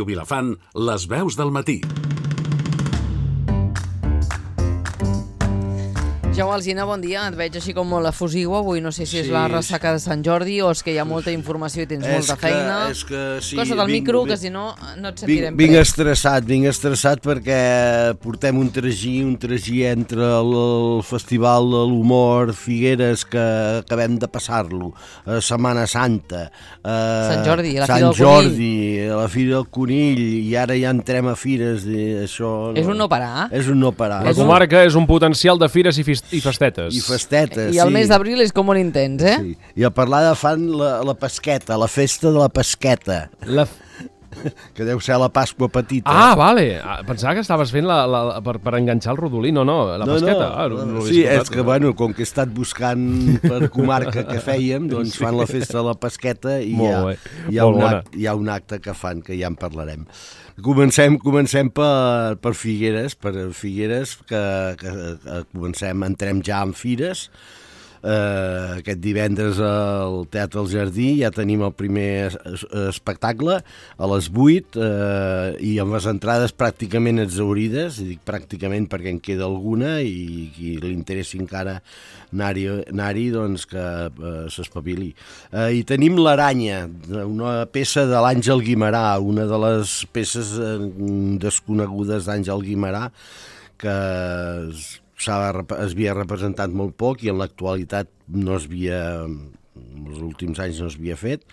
Vilafant, les veus del matí. Jaume Alsina, bon dia. Et veig així com molt efusiu avui. No sé si és la ressaca de Sant Jordi o és que hi ha molta informació i tens molta feina. És que sí. Costa't el micro, que si no et sentirem Vinc estressat perquè portem un tragí entre el Festival de l'Humor Figueres, que acabem de passar-lo, Setmana Santa, Sant Jordi, la Sant Fira del Jordi, la Fira del Conill, i ara ja entrem a fires. Això És un no parar. És un no parar. La comarca és un potencial de fires i festetes. I festetes, I el mes d'abril és com molt intens, eh? Sí. I a parlar de fan la pesqueta, la festa de la pesqueta. Que deu ser la Pasqua petita. Ah, vale. Pensava que estaves fent per enganxar el rodolí. No, la pesqueta. Sí, és que, bueno, com que he estat buscant per comarca que fèiem, doncs fan la festa de la pesqueta i hi ha un acte que fan, que ja en parlarem. Comencem per Figueres, que entrem ja en fires. Aquest divendres al Teatre del Jardí ja tenim el primer espectacle a les 8 i amb les entrades pràcticament exhaurides, i dic pràcticament perquè en queda alguna, i qui li interessi encara anar-hi, doncs que s'espavili. I tenim l'Aranya, una peça de l'Àngel Guimerà, una de les peces desconegudes d'Àngel Guimerà, que es havia representat molt poc i en l'actualitat en els últims anys no es havia fet,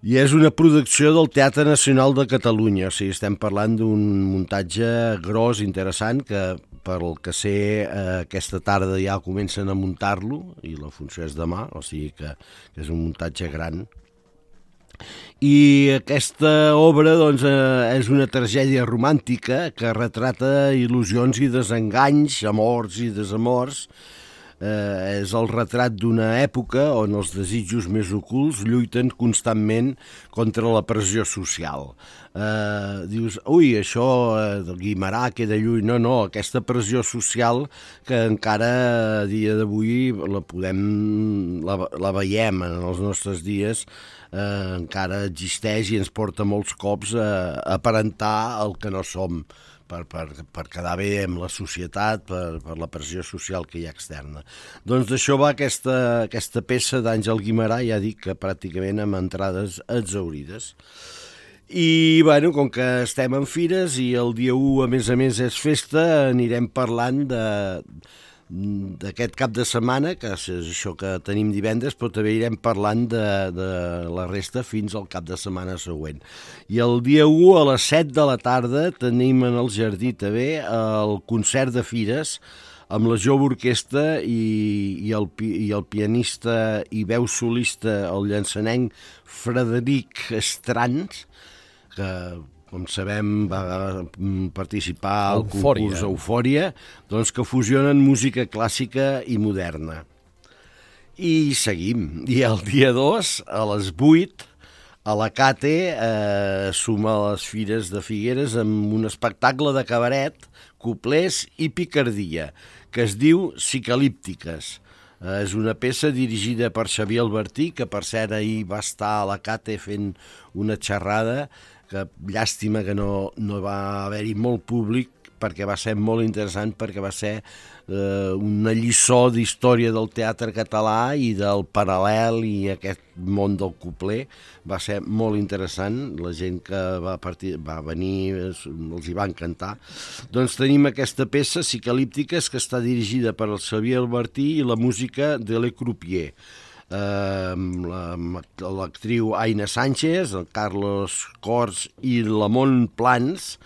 i és una producció del Teatre Nacional de Catalunya. O sigui, estem parlant d'un muntatge gros, interessant, que pel que sé aquesta tarda ja comencen a muntar-lo i la funció és demà, o sigui que és un muntatge gran. I aquesta obra, doncs, és una tragèdia romàntica que retrata il·lusions i desenganys, amors i desamors. És el retrat d'una època on els desitjos més ocults lluiten constantment contra la pressió social. Dius, ui, això Guimerà queda lluny. No, aquesta pressió social que encara a dia d'avui la veiem en els nostres dies, encara existeix i ens porta molts cops a aparentar el que no som, per quedar bé amb la societat, per la pressió social que hi ha externa. Doncs d'això va aquesta peça d'Àngel Guimerà, ja dic que pràcticament amb entrades exhaurides. I, bueno, com que estem en fires i el dia 1, a més és festa, anirem parlant d'aquest cap de setmana, que és això que tenim divendres, però també irem parlant de la resta fins al cap de setmana següent. I el dia 1 a les 7 de la tarda tenim en el Jardí també el concert de fires amb la jove orquestra i el pianista i veu solista, el llançanenc Frederic Estrans, que, com sabem, va participar al concurs Eufòria, doncs que fusionen música clàssica i moderna. I seguim. I el dia 2, a les 8, a la Cate suma les Fires de Figueres amb un espectacle de cabaret, coplers i picardia, que es diu Psicalíptiques. És una peça dirigida per Xavier Albertí, que per cert ahir va estar a la Cate fent una xerrada, que llàstima que no va haver-hi molt públic, perquè va ser molt interessant, perquè va ser una lliçó d'història del teatre català i del paral·lel i aquest món del copler. Va ser molt interessant, la gent que va venir els hi va encantar. Doncs tenim aquesta peça, Psicalíptiques, que està dirigida per el Xavier Albertí i la música de Le Croupier. L'actriu Aina Sánchez, el Carlos Cors i l'Amon Plans,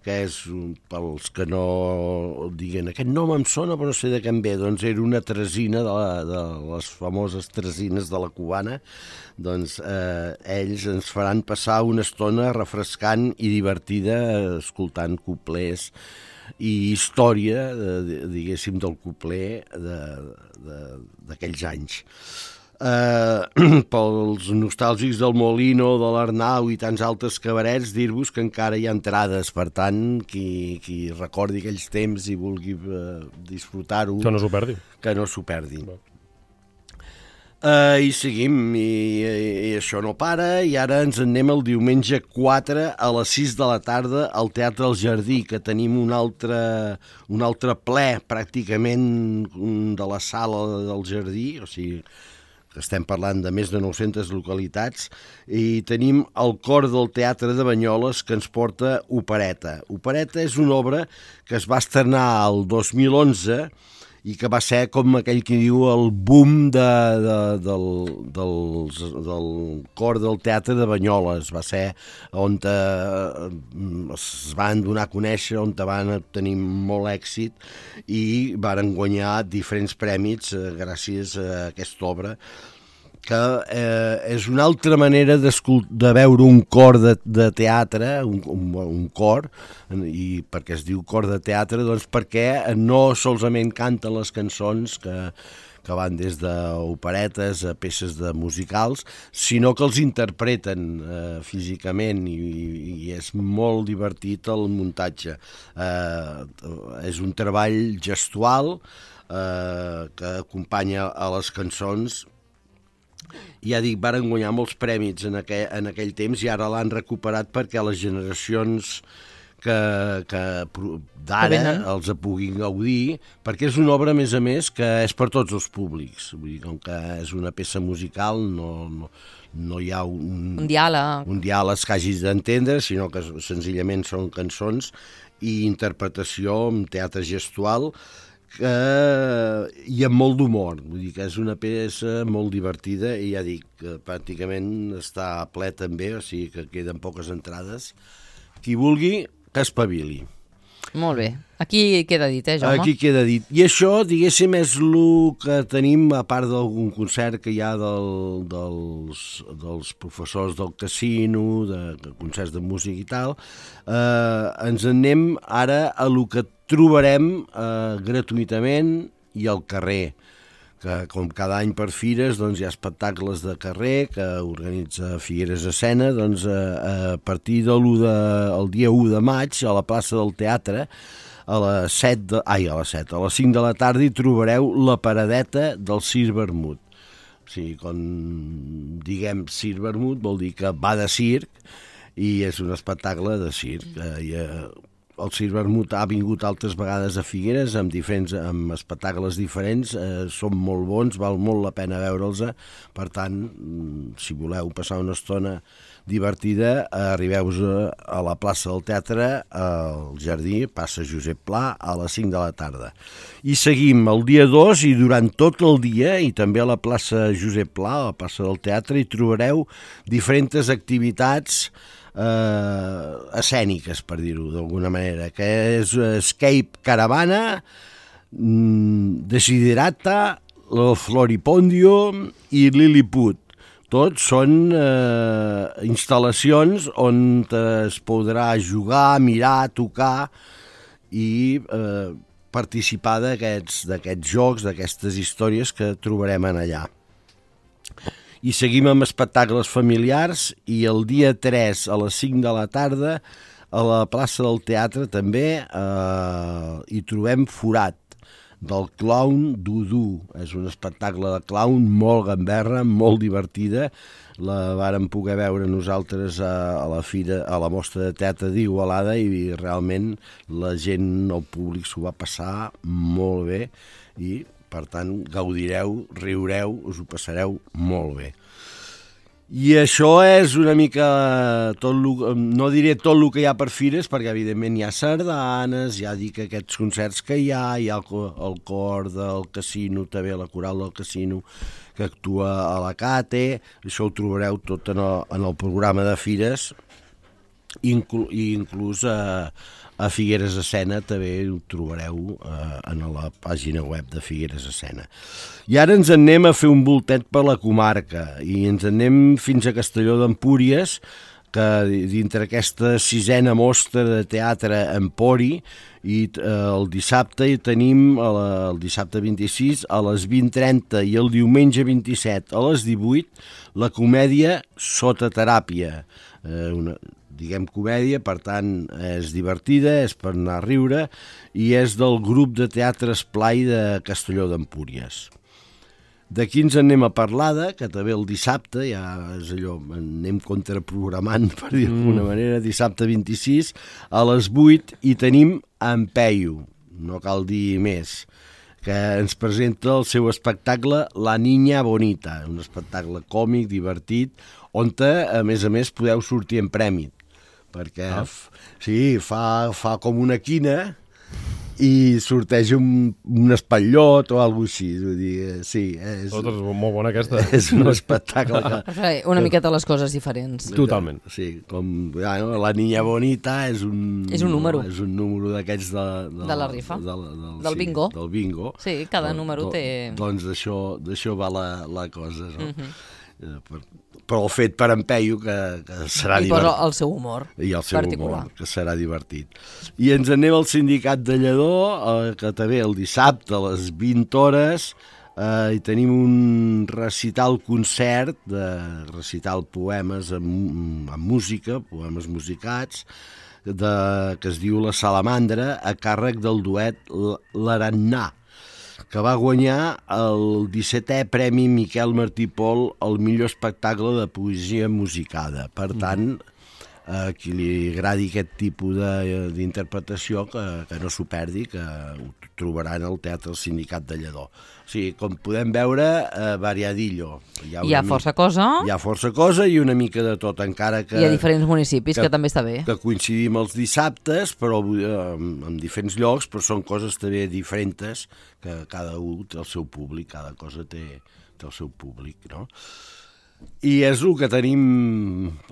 que és, pels que no diguen, aquest nom em sona però no sé de què em ve, doncs era una tresina de les famoses tresines de la cubana. Doncs ells ens faran passar una estona refrescant i divertida escoltant coplers i història, diguéssim, del copler d'aquells anys. Pels nostàlgics del Molino, de l'Arnau i tants altres cabarets, dir-vos que encara hi ha entrades, per tant, qui recordi aquells temps i vulgui disfrutar-ho, que no s'ho perdi. Que no s'ho perdi. I seguim, i això no para, i ara ens en anem el diumenge 4 a les 6 de la tarda al Teatre del Jardí, que tenim un altre ple, pràcticament, de la sala del Jardí, o sigui, que estem parlant de més de 900 localitats, i tenim el cor del Teatre de Banyoles que ens porta Opereta. Opereta és una obra que es va estrenar el 2011 i que va ser, com aquell que diu, el boom del cor del Teatre de Banyoles. Va ser on es van donar a conèixer, on van tenir molt èxit i varen guanyar diferents prèmits gràcies a aquesta obra, que és una altra manera de veure un cor de teatre, un cor, i per què es diu cor de teatre? Doncs perquè no solament canten les cançons que van des d'operetes a peces de musicals, sinó que els interpreten físicament, i és molt divertit el muntatge. És un treball gestual que acompanya a les cançons. Ja dic, varen guanyar molts prèmits en aquell temps i ara l'han recuperat perquè les generacions d'ara els puguin gaudir, perquè és una obra, a més, que és per tots els públics. Vull dir, com que és una peça musical, no hi ha un diàleg que hagis d'entendre, sinó que senzillament són cançons i interpretació amb teatre gestual, i amb molt d'humor. Vull dir que és una peça molt divertida i ja dic, pràcticament està ple també, o sigui que queden poques entrades. Qui vulgui, que espavili. Molt bé. Aquí queda dit, Jaume? Aquí queda dit. I això, diguéssim, és el que tenim, a part d'algun concert que hi ha dels professors del casino, de concerts de música i tal. Ens en anem ara a el que trobarem gratuïtament i al carrer, que com cada any per fires doncs, hi ha espectacles de carrer que organitza Figueres Escena. Doncs, a partir del dia 1 de maig a la plaça del Teatre a les 5 de la tarda hi trobareu la paradeta del Circ Vermut. O sigui, quan diguem Circ Vermut vol dir que va de circ i és un espectacle de circ. El Circ Vermut ha vingut altres vegades a Figueres amb espectacles diferents, són molt bons, val molt la pena veure'ls. Per tant, si voleu passar una estona divertida, arribeu a la plaça del Teatre, al Jardí, passa Josep Pla, a les 5 de la tarda. I seguim el dia 2 i durant tot el dia, i també a la plaça Josep Pla, a la plaça del Teatre, hi trobareu diferents activitats escèniques, per dir-ho d'alguna manera, que és Escape Caravana, Desiderata, el Floripondio i Lilliput. Tots són instal·lacions on es podrà jugar, mirar, tocar i participar d'aquests jocs, d'aquestes històries que trobarem en allà. I seguim amb espectacles familiars, i el dia 3 a les 5 de la tarda a la plaça del Teatre també hi trobem Forat, del clown Dudu. És un espectacle de clown molt gamberra, molt divertida. La vàrem poder veure nosaltres a la mostra de teatre d'Igualada i realment la gent, el públic s'ho va passar molt bé i per tant, gaudireu, riureu, us ho passareu molt bé. I això és una mica no diré tot el que hi ha per fires, perquè evidentment hi ha sardanes, ja dic aquests concerts que hi ha el cor del casino, també la coral del casino, que actua a la Cate. Això ho trobareu tot en el programa de fires, i inclús a Figueres Escena també ho trobareu en la pàgina web de Figueres Escena. I ara ens anem a fer un voltet per la comarca i ens anem fins a Castelló d'Empúries, que dintre aquesta 6a mostra de teatre Empori, i el dissabte hi tenim, el dissabte 26 a les 20:30 i el diumenge 27 a les 18, la comèdia Sota teràpia, diguem comèdia, per tant és divertida, és per anar a riure, i és del grup de teatre Esplai de Castelló d'Empúries. D'aquí ens anem a Parlada, que també el dissabte, ja és allò, anem contraprogramant, per dir d'alguna manera, dissabte 26, a les 8, i tenim en Peyu, no cal dir més, que ens presenta el seu espectacle La Niña Bonita, un espectacle còmic, divertit, on, a més, podeu sortir en premi, perquè fa com una quina i sorteix un espatllot o alguna cosa així. Vull dir, sí, és molt bona aquesta. És un espectacle una miqueta les coses diferents. Totalment. Sí, com La Niña Bonita és un número. És un número d'aquests de la rifa, del bingo. Del bingo. Sí, cada número té... Doncs d'això va la cosa, no? Però el fet per en Peyu, que serà divertit. I posa el seu humor particular. Que serà divertit. I ens anem al Sindicat de Lledó, que també el dissabte a les 20 hores hi tenim un recital-concert, recital poemes amb música, poemes musicats, que es diu La Salamandra, a càrrec del duet L'Arannà, que va guanyar el 17è Premi Miquel Martí Pol al millor espectacle de poesia musicada. Per tant, a qui li agradi aquest tipus d'interpretació, que no s'ho perdi, que ho trobaran al Teatre del Sindicat de Lledó. O sigui, com podem veure, variadillo. Hi ha força cosa. Hi ha força cosa i una mica de tot, encara que... Hi ha diferents municipis, que també està bé. Que coincidim els dissabtes, però en diferents llocs, però són coses també diferents, que cada un té el seu públic, cada cosa té el seu públic, no? I és el que tenim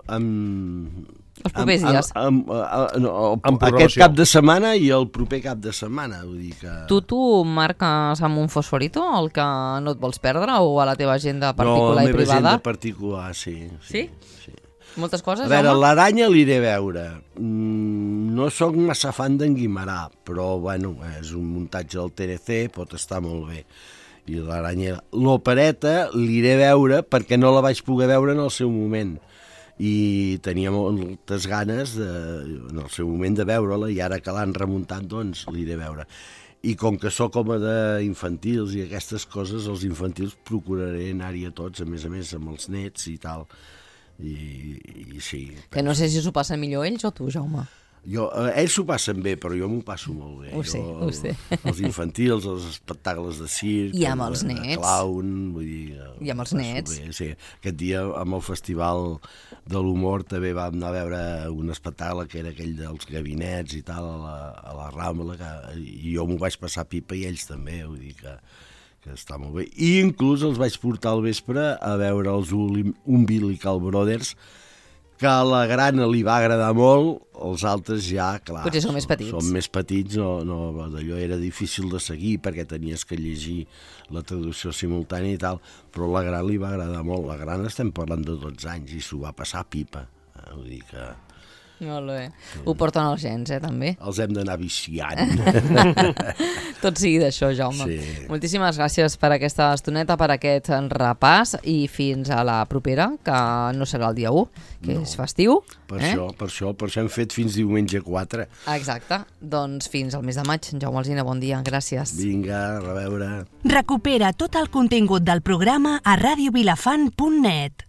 els propers dies. Aquest cap de setmana i el proper cap de setmana. Vull dir que... Tu marques amb un fosforito el que no et vols perdre o a la teva agenda particular i privada? No, a la meva agenda particular, sí. Sí? Moltes coses, a veure, l'Aranya l'iré a veure. No sóc massa fan d'en Guimarà, però bueno, és un muntatge del TNC, pot estar molt bé. I l'Aranya, l'opereta l'iré a veure perquè no la vaig poder veure en el seu moment i tenia moltes ganes en el seu moment de veure-la, i ara que l'han remuntat, doncs l'iré a veure. I com que sóc home d'infantils i aquestes coses, els infantils procuraré anar-hi a tots, a més amb els nets i tal. I sí. Que no sé si s'ho passen millor ells o tu, Jaume. Ells s'ho passen bé, però jo m'ho passo molt bé. Ho sé. Els infantils, els espectacles de circ, i amb els nets. Clown, vull dir... I amb els nets. Bé, sí. Aquest dia, amb el Festival de l'Humor, també vam anar a veure un espectacle que era aquell dels gabinets i tal, a la Rambla, i jo m'ho vaig passar pipa i ells també, vull dir que està molt bé. I inclús els vaig portar al vespre a veure els Umbilical Brothers, que a la Grana li va agradar molt, els altres ja, clar... Potser són més petits. Són més petits, d'allò era difícil de seguir perquè tenies que llegir la traducció simultània i tal, però a la Grana li va agradar molt. La Grana estem parlant de 12 anys i s'ho va passar pipa. Vull dir que... Molt bé. Ho porten els gens, també? Els hem d'anar viciant. Tot sigui d'això, Jaume. Sí. Moltíssimes gràcies per aquesta estoneta, per aquest repàs, i fins a la propera, que no serà el dia 1, que és festiu. Per això hem fet fins diumenge 4. Exacte. Doncs fins al mes de maig. Jaume Alsina, bon dia. Gràcies. Vinga, a reveure. Recupera tot el contingut del programa a radiovilafant.net.